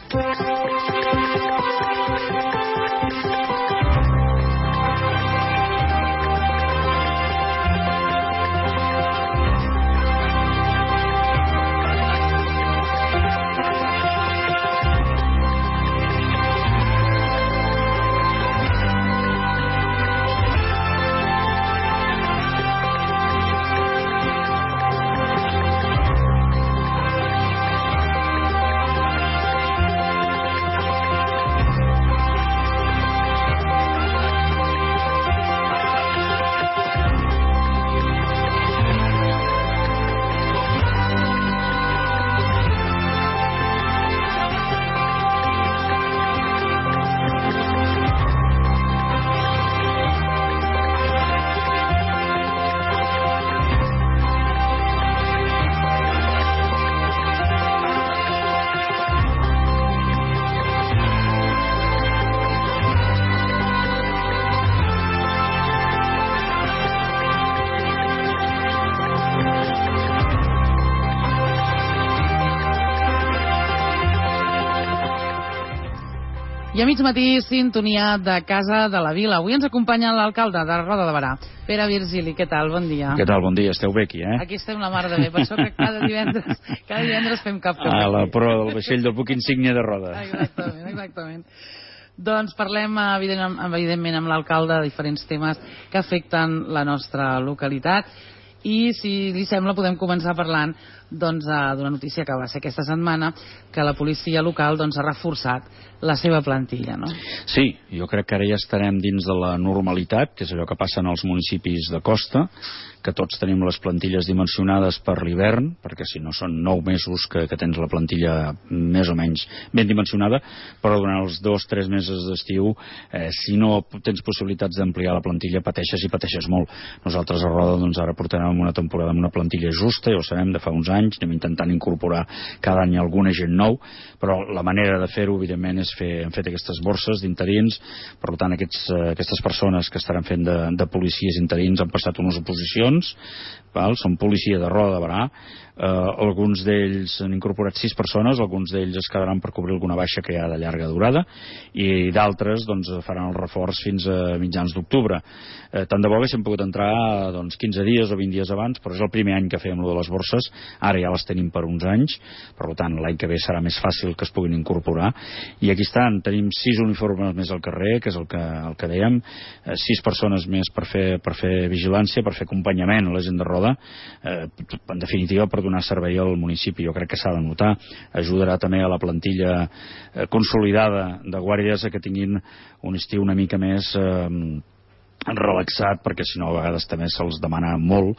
I a mig matí, sintonia de Casa de la Vila. Avui ens acompanya l'alcalde de Roda de Berà, Pere Virgili. Què tal? Bon dia. Què tal? Bon dia. Esteu bé aquí, eh? Aquí estem la mar de bé. Per això que cada divendres fem cap a la proa del vaixell del buc insígnia de Roda. Exactament. Doncs parlem, evidentment, amb l'alcalde de diferents temes que afecten la nostra localitat. I, si li sembla, podem començar parlant d'una notícia que va ser aquesta setmana, que la policia local ha reforçat la seva plantilla, no? Sí, jo crec que ara ja estarem dins de la normalitat, que és allò que passa en els municipis de costa, que tots tenim les plantilles dimensionades per l'hivern, perquè si no són 9 mesos que tens la plantilla més o menys ben dimensionada, però durant els 2-3 mesos d'estiu, si no tens possibilitats d'ampliar la plantilla, pateixes i pateixes molt. Nosaltres a Roda ara portarem una temporada amb una plantilla justa, ja ho sabem, de fa uns anys, anem intentant incorporar cada any alguna gent nou, però la manera de fer-ho, evidentment, és hem fet aquestes borses d'interins. Per tant, aquestes persones que estaran fent de policies interins han passat unes oposicions, són policia de Roda de Berà. Alguns d'ells han incorporat 6 persones, alguns d'ells es quedaran per cobrir alguna baixa que hi ha de llarga durada, i d'altres faran el reforç fins a mitjans d'octubre. Tant de bo haguéssim pogut entrar 15 dies o 20 dies abans, però és el primer any que fèiem de les borses, ara ja les tenim per uns anys, per tant l'any que ve serà més fàcil que es puguin incorporar. I aquí estan, tenim 6 uniformes més al carrer, que és el que dèiem, 6 persones més per fer vigilància, per fer acompanyament a la gent de Roda, en definitiva per donar servei al municipi. Jo crec que s'ha de notar, ajudarà també a la plantilla consolidada de guàrdies a que tinguin un estiu una mica més relaxat, perquè si no a vegades també se'ls demana molt,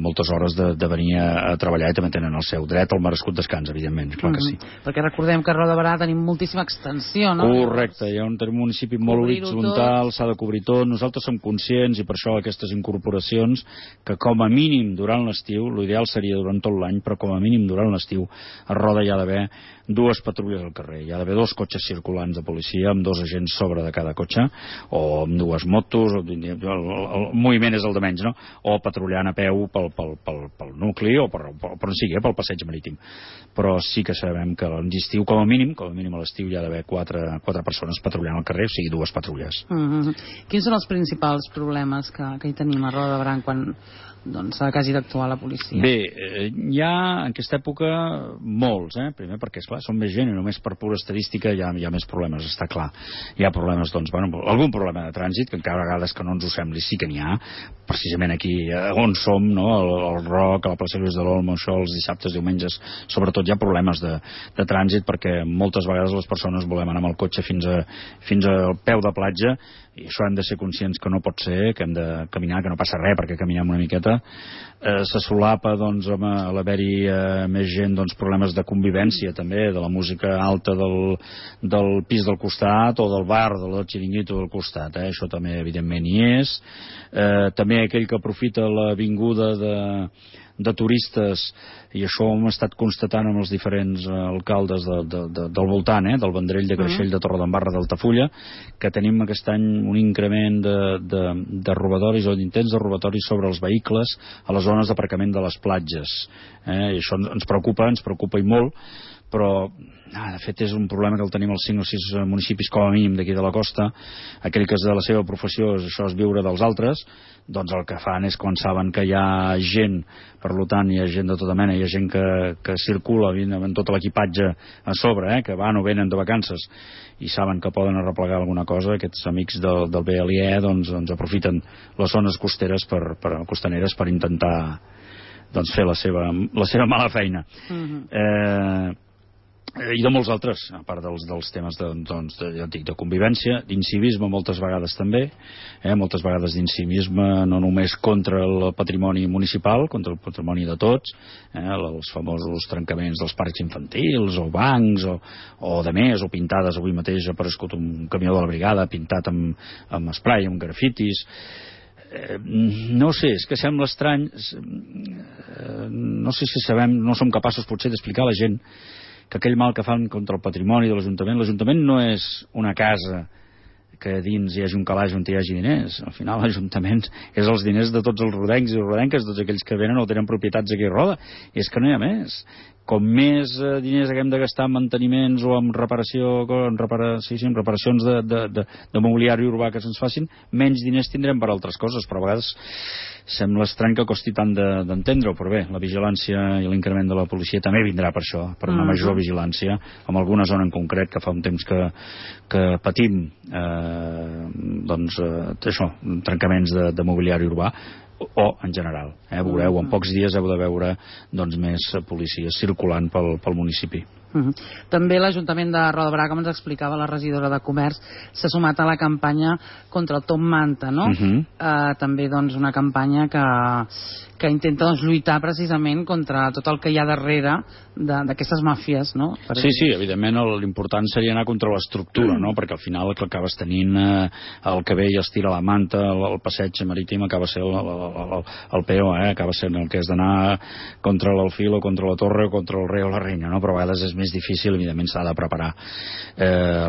moltes hores de venir a treballar, i també tenen el seu dret al merescut descans, evidentment, clar que sí. Perquè recordem que a Roda de Berà tenim moltíssima extensió, no? Correcte, hi ha un municipi molt horitzontal, s'ha de cobrir tot. Nosaltres som conscients, i per això aquestes incorporacions, que com a mínim durant l'estiu, l'ideal seria durant tot l'any, però com a mínim durant l'estiu a Roda hi ha d'haver 2 patrulles al carrer, hi ha d'haver 2 cotxes circulants de policia amb 2 agents sobre de cada cotxe, o amb 2 motos, el moviment és el de menys, no? O patrullant a peu pel nucli, o per on sigui, pel passeig marítim. Però sí que sabem que l'estiu, com a mínim a l'estiu hi ha d'haver 4 persones patrullant al carrer, o sigui 2 patrulles. Quins són els principals problemes que hi tenim a Roda de Berà quan que hagi d'actuar la policia? Bé, hi ha en aquesta època molts, primer perquè, esclar, són més gent i només per pura estadística hi ha més problemes, està clar. Hi ha problemes, algun problema de trànsit, que encara a vegades que no ens ho sembli, sí que n'hi ha, precisament aquí on som, no? Al Roc, a la plaça Lluís de l'Olmo, això els dissabtes, diumenges, sobretot hi ha problemes de trànsit, perquè moltes vegades les persones volem anar amb el cotxe fins al peu de platja, i això hem de ser conscients que no pot ser, que hem de caminar, que no passa res perquè caminem una miqueta. Se solapa amb l'haver-hi més gent, problemes de convivència també, de la música alta del pis del costat o del bar, del xiringuito del costat, això també evidentment hi és. També aquell que aprofita l'avinguda de turistes, i això ho hem estat constatant amb els diferents alcaldes del voltant, del Vendrell, de Creixell, de Torredembarra, d'Altafulla, que tenim aquest any un increment de robatoris o d'intents de robatoris sobre els vehicles a les zones d'aparcament de les platges. I això ens preocupa i molt, però de fet és un problema que el tenim als 5 o 6 municipis com a mínim d'aquí de la costa. Aquell que de la seva professió això és viure dels altres, doncs el que fan és quan saben que hi ha gent, per tant hi ha gent de tota mena, hi ha gent que circula amb tot l'equipatge a sobre, que van o venen de vacances i saben que poden arreplegar alguna cosa, aquests amics del BLE doncs aprofiten les zones costaneres per intentar fer la seva mala feina. I de molts altres, a part dels temes de convivència, d'incivisme moltes vegades també, moltes vegades d'incivisme no només contra el patrimoni municipal, contra el patrimoni de tots, els famosos trencaments dels parcs infantils o bancs o de més, o pintades. Avui mateix ha aparegut un camió de la brigada pintat amb spray, amb grafitis. No sé, és que sembla estrany, no sé si no som capaços potser d'explicar a la gent que aquell mal que fan contra el patrimoni de l'Ajuntament no és una casa que dins hi hagi un calaix on hi hagi diners. Al final l'Ajuntament és els diners de tots els rodencs i rodenques, tots aquells que venen o tenen propietats aquí a Roda, i és que no hi ha més. Com més diners haguem de gastar en manteniments o en reparacions de mobiliari urbà que se'ns facin, menys diners tindrem per altres coses, però a vegades sembla estrany que costi tant d'entendre-ho, però bé, la vigilància i l'increment de la policia també vindrà per això, per una major vigilància en alguna zona en concret que fa un temps que patim trencaments de mobiliari urbà, o en general. Veureu, en pocs dies heu de veure més policies circulant pel municipi. També l'Ajuntament de Roda de Berà, com ens explicava la regidora de Comerç, s'ha sumat a la campanya contra el top manta, no? També una campanya que intenta lluitar precisament contra tot el que hi ha darrere d'aquestes màfies, no? Sí, evidentment l'important seria anar contra l'estructura, no? Perquè al final el que acabes tenint el que ve i es tira la manta, el passeig marítim acaba sent el PO, acaba sent el que és d'anar contra l'alfil o contra la torre o contra el rei o la reina, no? Però a vegades és més difícil, evidentment s'ha de preparar.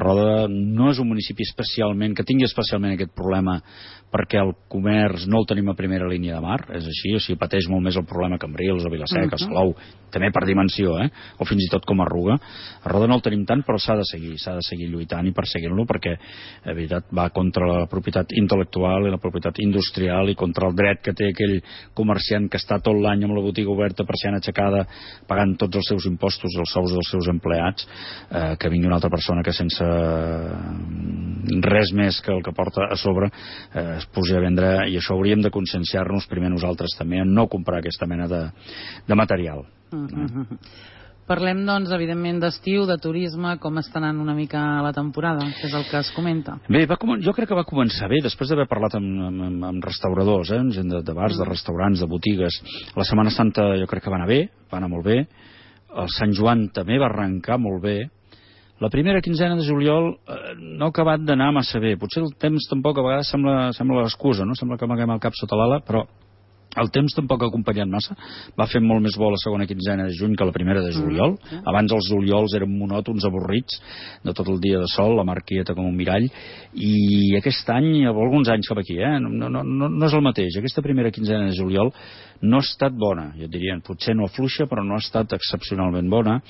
Roda no és un municipi que tingui especialment aquest problema perquè el comerç no el tenim a primera línia de mar, és així, o sigui, pateix molt més el problema que Cambrils o Vilaseca, Salou, també per dimensió, o fins i tot com a Arruga. A Roda no el tenim tant, però s'ha de seguir lluitant i perseguint-lo perquè, de veritat, va contra la propietat intel·lectual i la propietat industrial i contra el dret que té aquell comerciant que està tot l'any amb la botiga oberta, persiana aixecada, pagant tots els seus impostos i els sous dels seus empleats, que vingui una altra persona que sense res més que el que porta a sobre es posi a vendre, i això hauríem de conscienciar-nos primer nosaltres també en no comprar aquesta mena de material. Parlem, evidentment, d'estiu, de turisme, com està anant una mica la temporada, que és el que es comenta. Bé, jo crec que va començar bé, després d'haver parlat amb restauradors, gent de bars, de restaurants, de botigues. La Setmana Santa jo crec que va anar bé, va anar molt bé. El Sant Joan també va arrencar molt bé. La primera quinzena de juliol no ha acabat d'anar massa bé. Potser el temps tampoc a vegades sembla l'excusa, no? Sembla que amaguem el cap sota l'ala, però el temps tampoc ha acompanyat massa. Va fer molt més bo la segona quinzena de juny que la primera de juliol. Abans els juliols eren monòtons, avorrits, de tot el dia de sol, la mar quieta com un mirall, i aquest any, alguns anys cap aquí, no és el mateix. Aquesta primera quinzena de juliol no ha estat bona, jo diria, potser no afluixa, però no ha estat excepcionalment bona.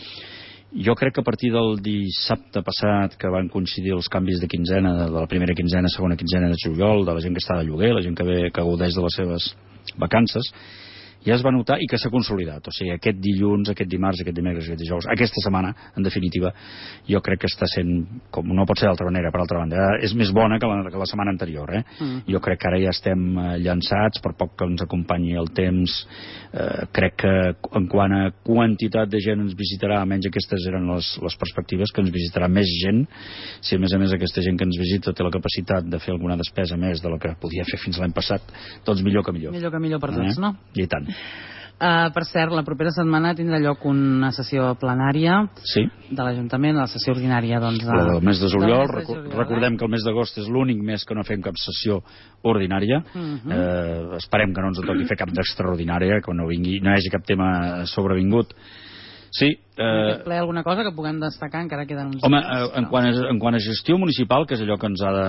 Jo crec que a partir del dissabte passat, que van coincidir els canvis de quinzena, de la primera quinzena, segona quinzena de juliol, de la gent que està de lloguer, la gent que gaudeix de les seves vacances, ja es va notar i que s'ha consolidat. O sigui, aquest dilluns, aquest dimarts, aquest dimecres, aquest dijous, aquesta setmana, en definitiva, jo crec que està sent, com no pot ser d'altra manera, per altra banda, és més bona que la setmana anterior. Jo crec que ara ja estem llançats, per poc que ens acompanyi el temps. Crec que en quant a quantitat de gent ens visitarà, almenys aquestes eren les perspectives, que ens visitarà més gent. Si a més aquesta gent que ens visita té la capacitat de fer alguna despesa més de la que podia fer fins l'any passat, doncs millor que millor. Millor que millor per tots, no? I tant. Per cert, la propera setmana tindrà lloc una sessió plenària de l'Ajuntament, la sessió ordinària del mes de juliol. Recordem que el mes d'agost és l'únic mes que no fem cap sessió ordinària. Esperem que no ens toqui fer cap d'extraordinària, que no hi hagi cap tema sobrevingut, Sí. En aquest ple alguna cosa que puguem destacar, encara queden uns home, dies, en quant a gestió municipal, que és allò que ens ha de...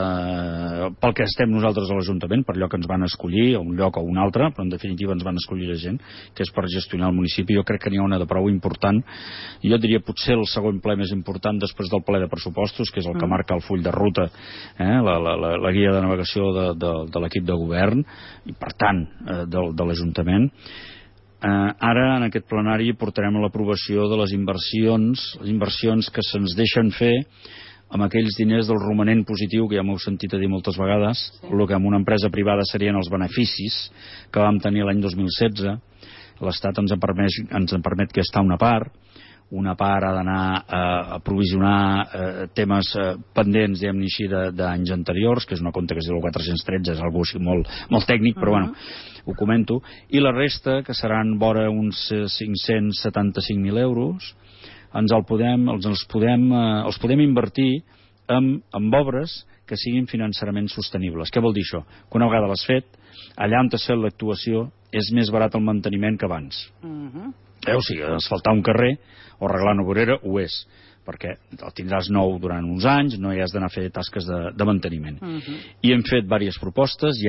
pel que estem nosaltres a l'Ajuntament, per allò que ens van escollir, a un lloc o un altre, però en definitiva ens van escollir la gent, que és per gestionar el municipi. Jo crec que n'hi ha una de prou important. Jo diria potser el segon ple més important després del ple de pressupostos, que és el que marca el full de ruta, la guia de navegació de l'equip de govern, i per tant de l'Ajuntament. Ara en aquest plenari portarem a l'aprovació de les inversions que se'ns deixen fer amb aquells diners del romanent positiu, que ja m'heu sentit a dir moltes vegades, el que amb una empresa privada serien els beneficis que vam tenir l'any 2016. L'Estat ens en permet gastar una part ha d'anar a provisionar temes pendents, diguem-ne així, d'anys anteriors, que és una compte que es diu el 413, és algo així molt tècnic, però bueno, ho comento, i la resta, que seran vora uns 575.000 euros, els podem invertir en obres que siguin financerament sostenibles. Què vol dir això? Que una vegada l'has fet, allà on t'has fet l'actuació és més barat el manteniment que abans. O sigui, asfaltar un carrer o arreglar una vorera ho és, perquè el tindràs nou durant uns anys, no hi has d'anar a fer tasques de manteniment. I hem fet diverses propostes,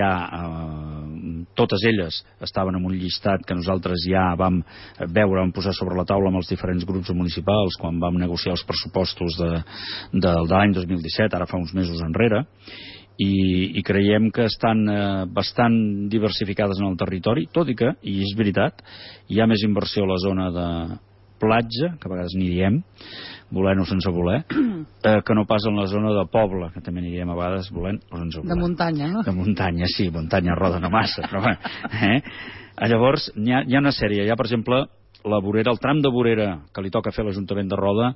totes elles estaven en un llistat que nosaltres ja vam posar sobre la taula amb els diferents grups municipals quan vam negociar els pressupostos de l'any 2017, ara fa uns mesos enrere, i creiem que estan bastant diversificades en el territori, tot i que, i és veritat, hi ha més inversió a la zona de platja, que a vegades n'hi diem, volent o sense voler, que no pas en la zona de poble, que també n'hi diem a vegades volent o sense voler. De muntanya, no? De muntanya, sí, muntanya roda no massa, però bé. Llavors, hi ha una sèrie, hi ha, per exemple, la vorera, el tram de vorera que li toca fer a l'Ajuntament de Roda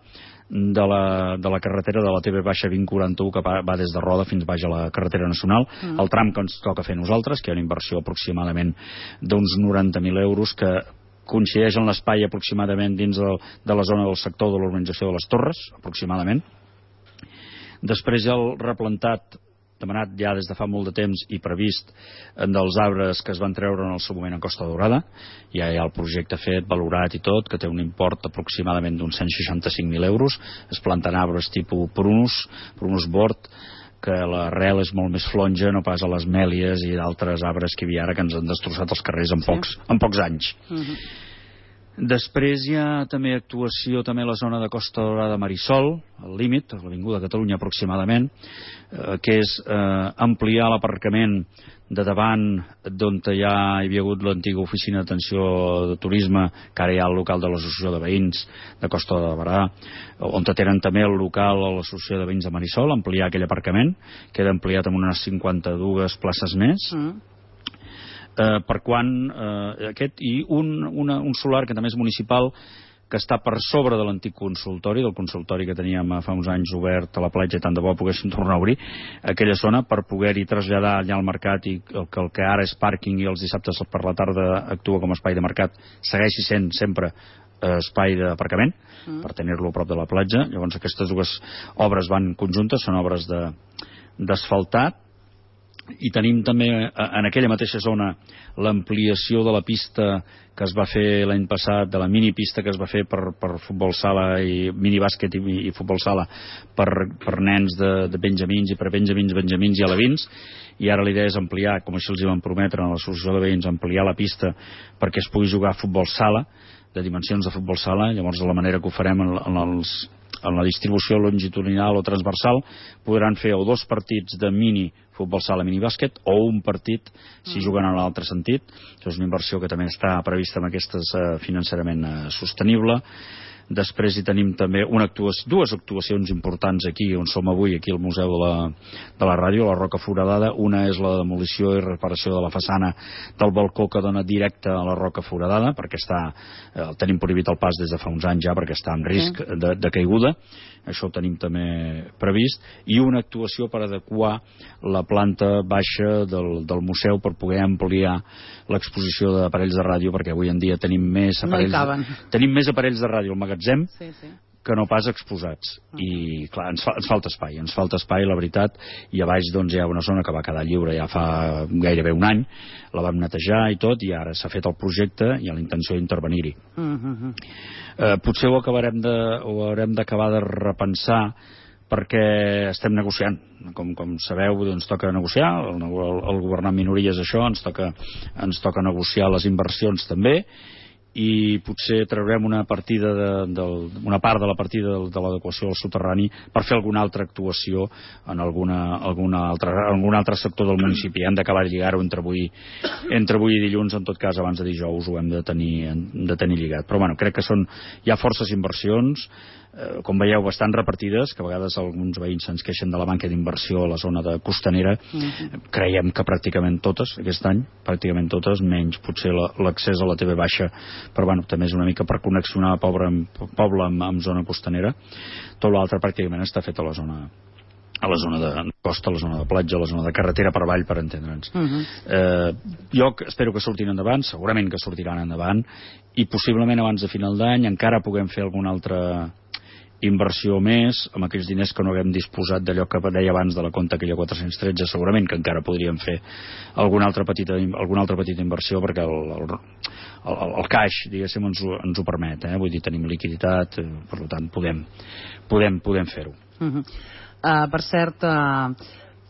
de la carretera de la TV-2041 que va des de Roda fins baix a la carretera nacional, el tram que ens toca fer nosaltres, que hi ha una inversió aproximadament d'uns 90.000 euros, que coincideix en l'espai aproximadament dins de la zona del sector de l'urbanització de les Torres, aproximadament. Després hi ha el replantat demanat ja des de fa molt de temps i previst dels arbres que es van treure en el seu moment a Costa Daurada. Ja hi ha el projecte fet, valorat i tot, que té un import aproximadament d'uns 165.000 euros. Es planten arbres tipus prunus bord, que l'arrel és molt més flonja, no pas a les mèlies i d'altres arbres que hi havia ara que ens han destrossat els carrers en pocs anys. Després hi ha també actuació també a la zona de Costa Daurada Marisol, al límit, a l'Avinguda Catalunya aproximadament, que és ampliar l'aparcament de davant d'on hi havia hagut l'antiga oficina d'atenció de turisme, que ara hi ha el local de l'Associació de Veïns de Costa de Barberà, on tenen també el local a l'Associació de Veïns de Marisol, ampliar aquell aparcament, queda ampliat amb unes 52 places més. Per quan aquest i un solar que també és municipal, que està per sobre de l'antic consultori, del consultori que teníem fa uns anys obert a la platja, tant de bo poguéssim tornar a obrir aquella zona per poder-hi traslladar allà al mercat, i el que ara és pàrquing i els dissabtes per la tarda actua com a espai de mercat segueixi sent sempre espai d'aparcament per tenir-lo a prop de la platja. Llavors aquestes dues obres van conjuntes, són obres d'asfaltat. I tenim també en aquella mateixa zona l'ampliació de la pista que es va fer l'any passat, de la minipista que es va fer per futbol sala i minibàsquet i futbol sala per nens de benjamins i per benjamins i alevins, i ara la idea és ampliar, com així els hi van prometre a l'associació de veïns, ampliar la pista perquè es pugui jugar a futbol sala, de dimensions de futbol sala. Llavors, de la manera que ho farem en la distribució longitudinal o transversal, podran fer o 2 partits de mini futbol sala, mini bàsquet, o un partit si juguen en l'altre sentit. Això és una inversió que també està prevista amb aquest finançament sostenible. Després hi tenim també dues actuacions importants aquí on som avui, aquí al Museu de la Ràdio, la Roca Foradada. Una és la demolició i reparació de la façana del balcó que dona directe a la Roca Foradada, perquè tenim prohibit el pas des de fa uns anys ja, perquè està en risc de caiguda. Això ho tenim també previst. I una actuació per adequar la planta baixa del museu per poder ampliar l'exposició d'aparells de ràdio, perquè avui en dia tenim més aparells de ràdio al magatzem que no pas exposats. I, clar, ens falta espai, la veritat, i a baix doncs, hi ha una zona que va quedar lliure ja fa gairebé un any, la vam netejar i tot, i ara s'ha fet el projecte i hi ha la intenció d'intervenir-hi. Potser ho haurem d'acabar de repensar, perquè estem negociant. Com sabeu, ens toca negociar, el governar en minories això, ens toca negociar les inversions també, i potser traurem una part de la partida de l'adequació al soterrani per fer alguna altra actuació en algun altre sector del municipi. Hem d'acabar de lligar-ho entre avui i dilluns, en tot cas abans de dijous ho hem de tenir lligat. Però bueno, crec que hi ha forces inversions, com veieu, bastant repartides, que a vegades alguns veïns se'ns queixen de la manca d'inversió a la zona de costanera. Creiem que pràcticament totes, aquest any, menys potser l'accés a la TV baixa, però bueno, també és una mica per connexionar poble amb zona costanera. Tot l'altre pràcticament està fet a la zona de costa, a la zona de platja, a la zona de carretera per avall, per entendre'ns. Jo espero que surtin endavant, segurament que sortiran endavant, i possiblement abans de final d'any encara puguem fer alguna altra inversió més, amb aquells diners que no haguem disposat d'allò que deia abans de la compta aquella 413, segurament que encara podríem fer alguna altra petita inversió, perquè el caix, diguéssim, ens ho permet, vull dir, tenim liquiditat, per tant podem fer-ho. Per cert,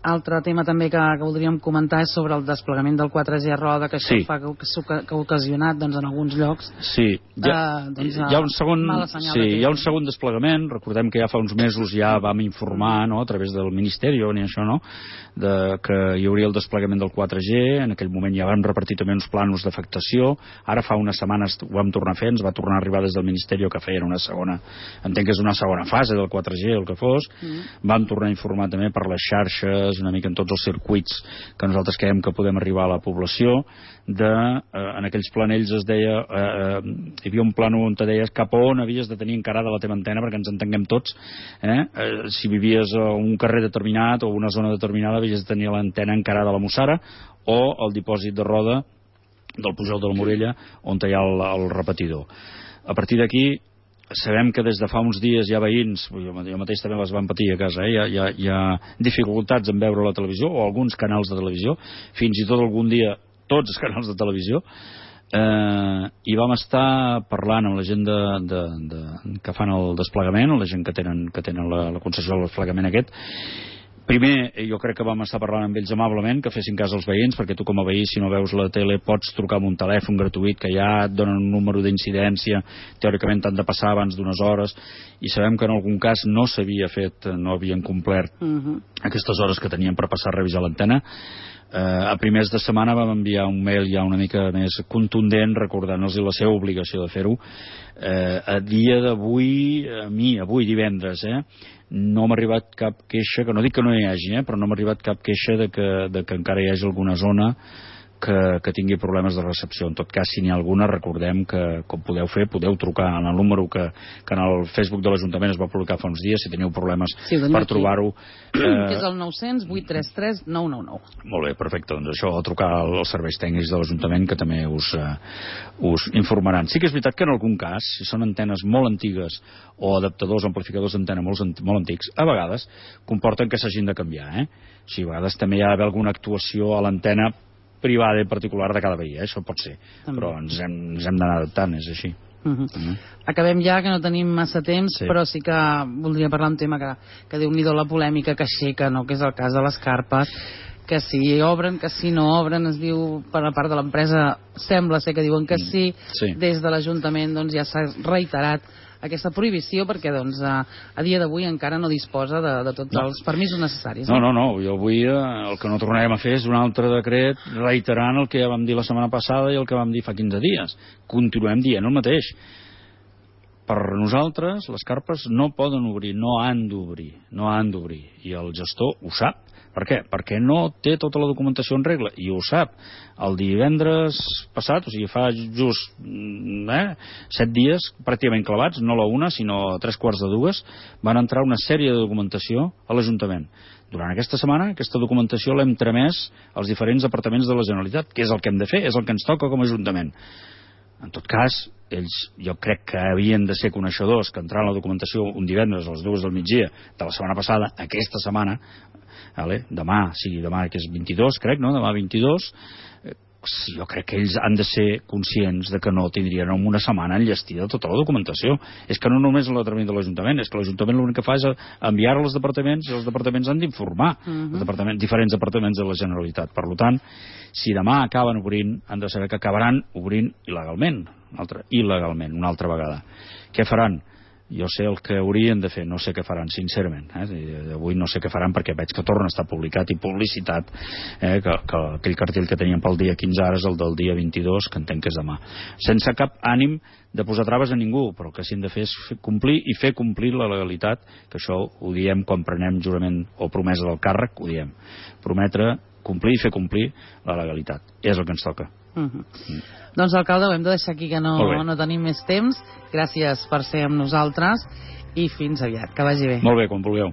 altre tema també que voldríem comentar és sobre el desplegament del 4G a Roda, que això que ha ocasionat en alguns llocs hi ha un segon desplegament. Recordem que ja fa uns mesos ja vam informar, a través del Ministeri que hi hauria el desplegament del 4G. En aquell moment ja vam repartir també uns plànols d'afectació. Ara fa unes setmanes ho vam tornar a fer, ens va tornar a arribar des del Ministeri que feien una segona, entenc que és una segona fase del 4G, el que fos. Vam tornar a informar també per les xarxes, una mica en tots els circuits que nosaltres creiem que podem arribar a la població. En aquells planells es deia, hi havia un plànol on te deies cap a on havies de tenir encarada la teva antena, perquè ens entenguem tots, si vivies a un carrer determinat o una zona determinada havies de tenir l'antena encarada a la Mussara o al dipòsit de Roda del Pujol de la Morella, on hi ha el repetidor. A partir d'aquí sabem que des de fa uns dies hi ha veïns, jo mateix també les van patir a casa, hi ha dificultats en veure la televisió o alguns canals de televisió, fins i tot algun dia tots els canals de televisió, i vam estar parlant amb la gent que fan el desplegament, la gent que tenen la concessió del desplegament aquest. Primer, jo crec que vam estar parlant amb ells amablement, que fessin cas als veïns, perquè tu com a veí, si no veus la tele, pots trucar amb un telèfon gratuït que ja et donen un número d'incidència, teòricament t'han de passar abans d'unes hores, i sabem que en algun cas no s'havia fet, no havien complert aquestes hores que tenien per passar a revisar l'antena. A primers de setmana vam enviar un mail ja una mica més contundent recordant-los la seva obligació de fer-ho. A dia d'avui, avui divendres, no m'ha arribat cap queixa, que no dic que no hi hagi, però no m'ha arribat cap queixa de que encara hi hagi alguna zona que tingui problemes de recepció. En tot cas, si n'hi ha alguna, recordem que com podeu fer, podeu trucar en el número que en el Facebook de l'Ajuntament es va publicar fa uns dies, si teniu problemes per trobar-ho. Que és el 900 833 999. Molt bé, perfecte. Doncs això, a trucar als serveis tècnics de l'Ajuntament, que també us informaran. Sí que és veritat que en algun cas, si són antenes molt antigues o adaptadors, amplificadors d'antena molt antics, a vegades comporten que s'hagin de canviar. O sigui, a vegades també hi ha d'haver alguna actuació a l'antena privada i particular de cada veí, això pot ser, però ens hem d'anar adaptant, és així. Acabem ja, que no tenim massa temps, però sí que voldria parlar un tema que Déu-n'hi-do la polèmica que aixeca, que és el cas de les carpes, que si obren, que si no obren, es diu per la part de l'empresa, sembla ser que diuen que sí. Des de l'Ajuntament ja s'ha reiterat aquesta prohibició, perquè a dia d'avui encara no disposa de tots els permisos necessaris. No, jo avui el que no tornarem a fer és un altre decret reiterant el que ja vam dir la setmana passada i el que vam dir fa 15 dies. Continuem dient el mateix. Per nosaltres les carpes no poden obrir, no han d'obrir, i el gestor ho sap. Per què? Perquè no té tota la documentació en regla, i ho sap. El divendres passat, o sigui, fa just 7 dies, pràcticament clavats, no la una, sinó a 3:15, van entrar una sèrie de documentació a l'Ajuntament. Durant aquesta setmana, aquesta documentació l'hem tramès als diferents departaments de la Generalitat, que és el que hem de fer, és el que ens toca com a Ajuntament. En tot cas, ells jo crec que havien de ser coneixedors que entrant la documentació un divendres a les 2 del migdia de la setmana passada, aquesta setmana, demà que és 22, crec, no? Demà 22, jo crec que ells han de ser conscients de que no tindrien en una setmana enllestida tota la documentació. És que no només la tràmit de l'Ajuntament, és que l'Ajuntament l'únic que fa és enviar-la als departaments i els departaments han d'informar els diferents departaments de la Generalitat. Per tant, si demà acaben obrint, han de saber que acabaran obrint il·legalment una altra vegada. Què faran? Jo sé el que haurien de fer, no sé què faran, sincerament. Avui no sé què faran perquè veig que torna a estar publicat i publicitat que aquell cartell que teníem pel dia 15 ara és el del dia 22, que entenc que és demà. Sense cap ànim de posar traves a ningú, però el que sí hem de fer és complir i fer complir la legalitat, que això ho diem quan prenem jurament o promesa del càrrec, ho diem. Prometre, complir i fer complir la legalitat. És el que ens toca. Doncs, alcalde, ho hem de deixar aquí, que no tenim més temps. Gràcies per ser amb nosaltres i fins aviat, que vagi bé. Molt bé, quan vulgueu.